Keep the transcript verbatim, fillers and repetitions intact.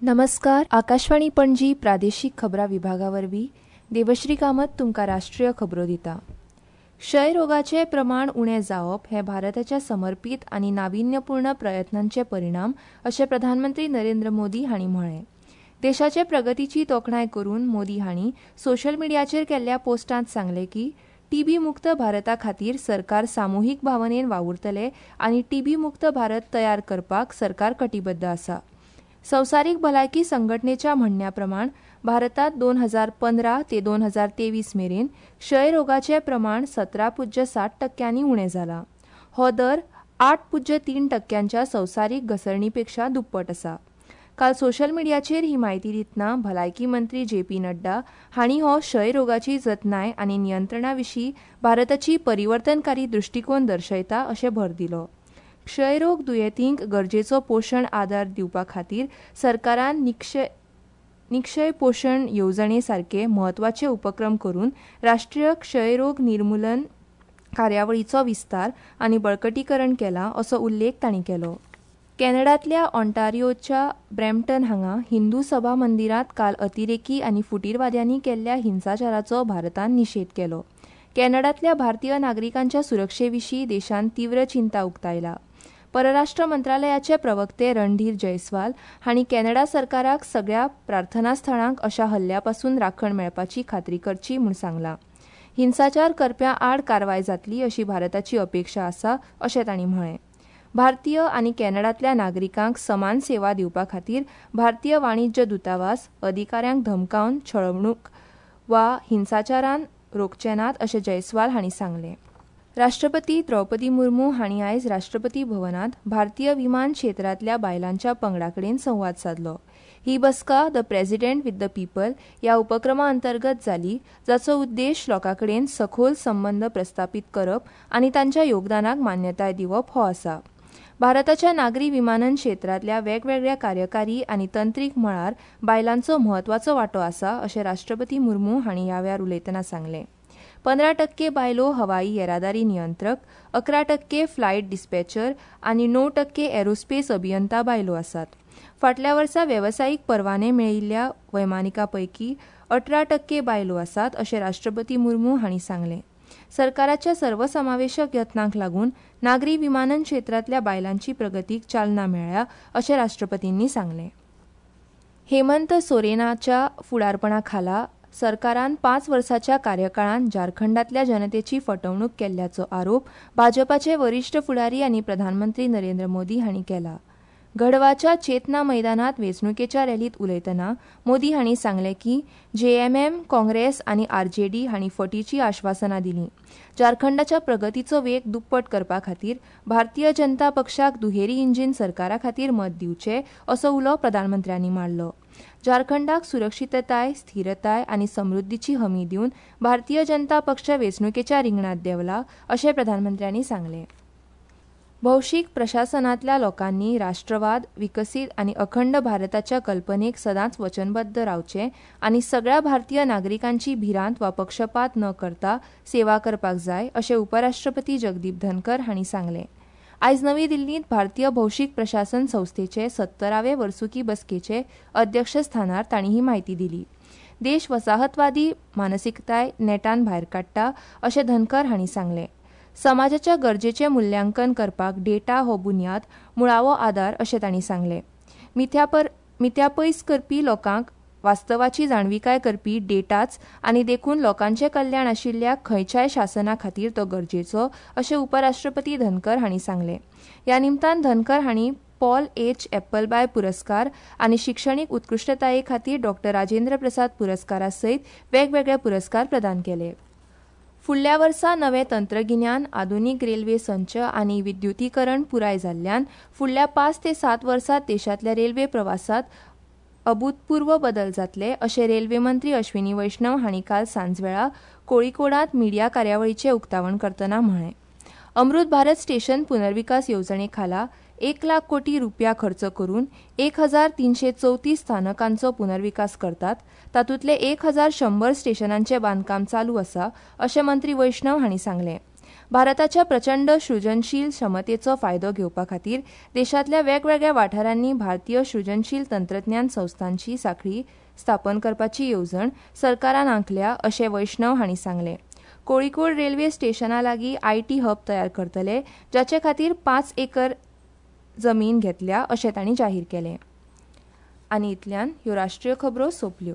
नमस्कार. आकाशवाणी पणजी प्रादेशीक खबरां विभागा वरवीं देवश्री कामत तुमकां राष्ट्रीय खबरो दिता. क्षयरोगाचें प्रमाण उणें जावप हें भारताच्या समर्पीत आनी नाविन्यपूर्ण प्रयत्नांचे परिणाम अशें प्रधानमंत्री नरेंद्र मोदी हांणी म्हळें. देशाचे प्रगतीची तोखणाय करून मोदी हांणी सोशल मिडियाचेर केल्ल्या पोस्टांत सांगलें की टीबी मुक्त भारता खातीर सरकार सामुहीक भावनेन वावुरतले आनी टीबी मुक्त भारत तयार करपाक सरकार कटिबद्ध आसा. संवसारीक भलायकी संघटनेच्या म्हणण्या प्रमाण भारतात दोन हजार पंदरा ते दोन हजार तेवीस मेरेन क्षयरोगाचे प्रमाण सतरा पुज्य सात टक्क्यांनी उणें जाला. हो दर आठ पुज्य तीन टक्क्यांच्या संवसारीक घसरणीपेक्षा दुप्पट आसा. काल सोशल मिडियाचेर ही म्हायती दितना भलायकी मंत्री जे पी नड्डा हांणी हो क्षयरोगाची जतनाय आनी नियंत्रणा विशीं भारताची परिवर्तनकारी दृश्टीकोन दर्शयता अशें भर दिलो. क्षयरोग दुयेंतींक गरजेचो पोशण आदार दिवपा खातीर सरकारान निक्षय निक्षय पोशण येवजणे सारके म्हत्वाचे उपक्रम करून राष्ट्रीय क्षयरोग निर्मुलन कार्यावळीचो विस्तार आनी बळकटीकरण केलां असो उल्लेख तांणी केलो. कॅनडांतल्या ऑन्टारियोच्या ब्रॅम्पटन हांगा हिंदू सभा मंदिरांत काल अतिरेकी आनी फुटीरवाद्यांनी केल्ल्या हिंसाचाराचो भारतान निशेध केलो. कॅनडांतल्या भारतीय नागरिकांच्या सुरक्षे विशीं देशान तीव्र चिंता उक्तायला. परराष्ट्र मंत्रालयाचे प्रवक्ते रणधीर जयस्वाल हांणी कॅनडा सरकाराक सगळ्या प्रार्थना स्थळांक अशा हल्ल्या पसून राखण मेळपाची खात्री करची म्हूण सांगलां. हिंसाचार करप्यां आड कारवाय जातली अशी भारताची अपेक्षा आसा अशें तांणी म्हळें. भारतीय आनी कॅनडांतल्या नागरिकांक समान सेवा दिवपा खातीर भारतीय वाणिज्य दूतावास अधिकाऱ्यांक धमकावन छळवणूक वा हिंसाचारान रोखचे नात अशें जयस्वाल हांणी सांगलें. राष्ट्रपती द्रौपदी मुर्मू हांणी आयज राष्ट्रपती भवनांत भारतीय विमान क्षेत्रांतल्या बायलांच्या पंगडा कडेन संवाद सादलो. ही बसका the president with the people ह्या उपक्रमा अंतर्गत जाली, जाचो उद्देश लोकां कडेन सखोल संबंद प्रस्थापीत करप आनी तांच्या योगदानाक मान्यताय दिवप हो आसा. भारताच्या नागरी विमानन क्षेत्रांतल्या वेगवेगळ्या कार्यकारी आनी तंत्रीक मळार बायलांचो म्हत्वाचो वांटो आसा अशें राष्ट्रपती मुर्मू हांणी ह्या वेळार उलयतना सांगलें. पंदरा टक्के बायलो हवाई येरादारी नियंत्रक, अकरा टक्के फ्लायट डिस्पॅचर आनी णव टक्के एरोस्पेस अभियंता बायलो आसात. फाटल्या वर्सा वेवसायीक परवाने मेळिल्ल्या वैमानिकां पैकी अठरा टक्के बायलो आसात अशें राष्ट्रपती मुर्मू हांणी सांगलें. सरकाराच्या सर्वसमावेशक यत्नांक लागून नागरी विमानन क्षेत्रांतल्या बायलांची प्रगतीक चालना मेळ्ळ्या अशें राष्ट्रपतींनी सांगलें. हेमंत सोरेनाच्या फुडारपणा खाला सरकारान पांच वर्साच्या कार्यकाळांत झारखंडांतल्या जनतेची फटवणूक केल्ल्याचो आरोप भाजपाचे वरिश्ठ फुडारी आनी प्रधानमंत्री नरेंद्र मोदी हांणी केला. गढवाच्या चेतना मैदानात वेंचणुकेच्या रॅलीत उलयतना मोदी हांणी सांगलें की जेएमएम, काँग्रेस आनी आरजेडी हांणी फटीची आश्वासनां दिलीं. झारखंडाच्या प्रगतीचो वेग दुप्पट करपा खातीर भारतीय जनता पक्षाक दुहेरी इंजीन सरकारा खातीर मत दिवचें असो उलो प्रधानमंत्र्यांनी मारलो. झारखंडाक सुरक्षितताय, स्थिरताय आनी समृद्धीची हमी दिवन भारतीय जनता पक्ष वेंचणुकेच्या रिंगणांत देंवला अशें प्रधानमंत्र्यांनी सांगलें. भौशीक प्रशासनांतल्या लोकांनी राष्ट्रवाद, विकसीत आनी अखंड भारताच्या कल्पनेक सदांच वचनबद्ध रावचें आनी सगळ्या भारतीय नागरिकांची भिरांत वा पक्षपात न करता सेवा करपाक जाय अशें उपराष्ट्रपती जगदीप धनकर हांणी सांगलें. आयज नवी दिल्लींत भारतीय भौशीक प्रशासन संस्थेचे सत्तरावे वर्सुकी बसकेचे अध्यक्षस्थानार तांणी ही म्हायती दिली. देश वसाहतवादी मानसिकताय नेटान भायर काडटा अशें धनकर हांणी सांगलें. समाजाच्या गरजेचें मुल्यांकन करपाक डेटा हो बुन्याद मुळावो आदार अशें तांणी सांगलें. मिथ्यापर मिथ्या पयस करपी लोकांक वास्तवाची जाणविकाय करपी डेटाच आनी देखून लोकांचें कल्याण आशिल्ल्या खंयच्याय शासना खातीर तो गरजेचो अशें उपराष्ट्रपती धनकर हांणी सांगलें. ह्या निमतान धनकर हांणी पॉल एच एप्पलबाय पुरस्कार आनी शिक्षणीक उत्कृश्टताये खातीर डॉ राजेंद्र प्रसाद पुरस्कारा सयत वेगवेगळे पुरस्कार प्रदान केले. फुडल्या वर्सा नवें तंत्रगिन्यान, आधुनीक रेल्वे संच आनी विद्युतीकरण पुराय जाल्ल्यान फुडल्या पांच ते सात वर्सात देशांतल्या रेल्वे प्रवासात अभूतपूर्व बदल जातले अशें रेल्वे मंत्री अश्विनी वैष्णव हांणी काल सांजवेळा कोळीकोडांत मिडिया कार्यावळीचें उक्तावण करतना म्हळें. अमृत भारत स्टेशन पुनर्विकास येवजणे खाला एक लाख कोटी रुपया खर्च करून एक हजार तीनशे चौतीस स्थानकांचो पुनर्विकास करतात. तातूंतले एक हजार शंबर स्टेशनांचें बांदकाम चालू आसा अशें मंत्री वैष्णव हांणी सांगलें. भारताच्या प्रचंड सृजनशील क्षमतेचो फायदो घेवपा खातीर देशांतल्या वेगवेगळ्या वाठारांनी भारतीय सृजनशील तंत्रज्ञान संस्थांची सांखळी स्थापन करपाची येवजण सरकारान आंखल्या अशें वैष्णव हांणी सांगलें. कोळीकोड रेल्वे स्टेशना लागीं IT hub तयार करतले, जाचे खातीर पांच एकर जमीन घेतल्या अशें तांणी जाहीर केलें. आनी इतल्यान ह्यो राष्ट्रीय खबरो सोंपल्यो.